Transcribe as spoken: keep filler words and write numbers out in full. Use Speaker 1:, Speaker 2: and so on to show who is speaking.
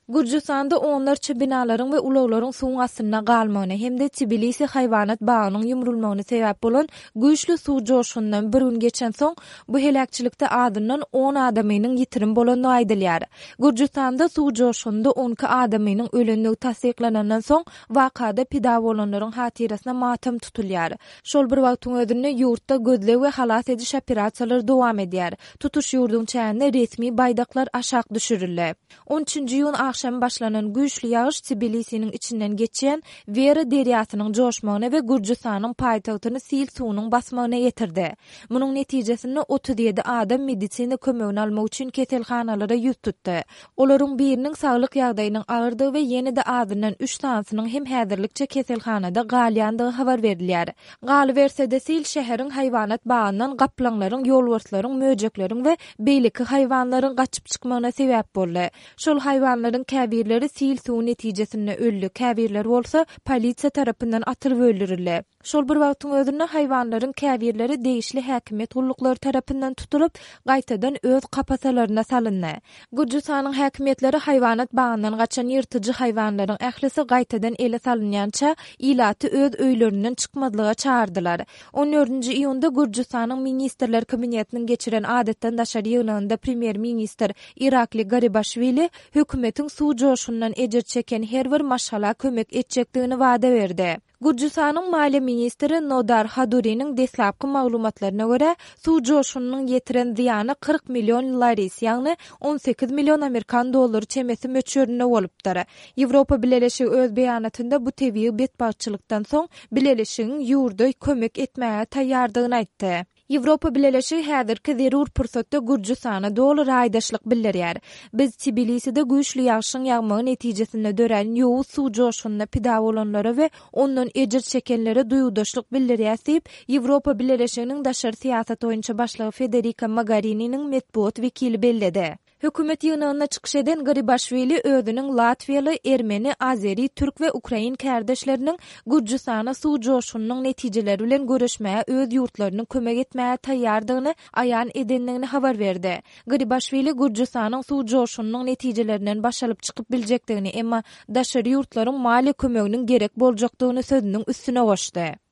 Speaker 1: Gürjüstanda onlarça binalaryň we ulaglaryň suwuň astynda galmagyna hem-de Tbilisi haýwanat bagynyň ýumrulmagyna sebäp bolan güýçli suw joşgunyndan bir gün geçensoň, bu heläkçilikde azyndan on adamynyň ýitirim bolandygy aýdylýar. Gürjüstanda suw joşgunynda on iki adamynyň ölendigi tassyklanandan soň, wakada pida bolanlaryň hatyrasyna matam tutulýar. Şol bir wagtyň özünde ýurtda gözleg we halas ediş operasiýalary dowam edýär. Tutuş ýurduň çäginde resmi baýdaklar aşak düşürildi. On üçünji iýun agşamy başlanan güýçli ýagyş Tbilisiniň içinden geçýän Wera derýasynyň joşmagyna we Gürjüstanyň paýtagtyny sil suwunyň basmagyna getirdi. Munuň netijesinde otuz ýedi adam medisina kömegini almak üçin keselhanalara ýüz tutdy. Olaryň biriniň saglyk ýagdaýynyň agyrdygy we ýene-de azyndan üç sanysynyň hem häzirlikçe keselhanada galýandygy habar berilýär. Galyberse-de sil şäheriň haýwanat bagyndan gaplaňlaryň, ýolbarslaryň, möjekleriň we beýleki haýwanlaryň gaçyp çykmagyna sebäp boldy. Şol haýwanlaryň käbirleri sil suwy netijesinde öldi, käbirleri bolsa polisiýa tarapyndan atylyp öldürildi. Şol bir wagtyň özünde haýwanlaryň käbirleri degişli häkimiýet gulluklary tarapyndan tutulyp, gaýtadan öz kapasalaryna salyndy. Gürjüstanyň häkimiýetleri haýwanat bagyndan gaçan ýyrtyjy haýwanlaryň ählisi gaýtadan ele salynýança ilaty öz öýlerinden çykmazlyga çagyrdylar. On dördünji iýunda Gürjüstanyň Ministrler Kabinetiniň geçiren adatdan daşary ýygnagynda premýer-ministr Irakli Garibaşwili hökümetiň suw joşgunyndan ejir çeken her bir maşgala kömek etjekdigini wada berdi. Gürjüstanyň maliýe ministri Nodar Haduriniň deslapky maglumatlaryna görä, suw joşgunynyň ýetiren zyýany kyrk million laris, ýagny on sekiz million amerikan dollary çemesi möçberinde bolupdyr. Ýewropa Bileleşigi öz beýanatynda bu tebigy betbagtçylykdan soň Bileleşigiň ýurda kömek etmäge taýýardygyny aýtdy. Ýewropa Bileleşigi häzirki zerur pursatda Gürjüstana doly raýdaşlyk bildirýär. Biz Tbiliside güýçli ýagşyň ýagmagy netijesinde dörän ýowuz suw joşgunyna pida bolanlara we ondan ejir çekenlere duýgudaşlyk bildirýäs diýip, Ýewropa Bileleşiginiň daşary syýasat boýunça başlygy Federika Mogarininiň metbugat wekili belledi. Hökümet ýygnagynda çykyş eden Garibaşwili özüniň latwiýaly, ermeni, azeri, türk we ukrain kärdeşleriniň Gürjüstana suw joşgunynyň netijeleri bilen göreşmäge öz ýurtlarynyň kömek etmäge taýýardygyny aýan edendigini habar berdi. Garibaşwili Gürjüstanyň suw joşgunynyň netijelerinden baş alyp çykyp biljekdigini, emma daşary ýurtlaryň maliýe kömeginiň gerek boljakdygyny sözüniň üstüne goşdy.